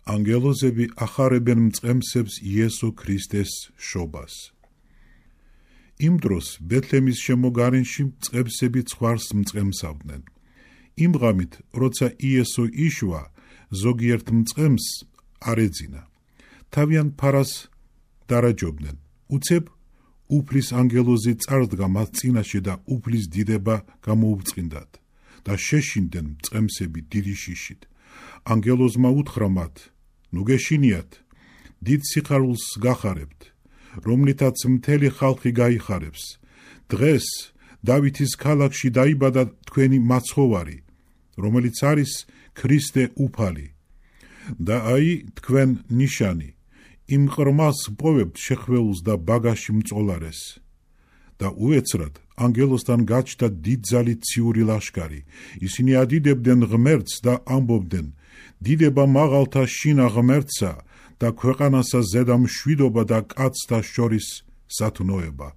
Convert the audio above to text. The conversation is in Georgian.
ანგელოზები ახარებენ მწყემსებს იესო ქრისტეს შობას. იმ დროს ბეთლემის შემოგარენში მწყემსები ცხვარს მწყემსავდნენ. იმ ღამით, როცა იესო იშვა, ზოგიერთ მწყემს არ ეძინა. თავიან ფარას დარაჯობდნენ. უცებ უფლის ანგელოზი წარდგა მათ წინაშე და უფლის დიდება გამოუწყინდათ და შეშინდნენ მწყემსები დიდი შიშით. ანგელოზმა უთხრა მათ: ნუ გეშინიათ, დიდ სიხარულს გახარებთ, რომლითაც მთელი ხალხი გაიხარებს. დღეს დავითის ქალაქში დაიბადა თქვენი მაცხოვარი, რომელიც არის ქრისტე უფალი. და აი თქვენ ნიშანი, იმ ყრმას პოვებთ შეხვეულს და ბაგაში მწოლარეს. და უეცრად ანგელოსთან გაჩნდა დიდძალი ციური ლაშქარი. ისინი ადიდებდნენ ღმერთს და ამბობდნენ: დიდება მაღალთა შინა ღმერთსა და ქვეყანასა ზედა მშვიდობა და კაცთა შორის სათნოება.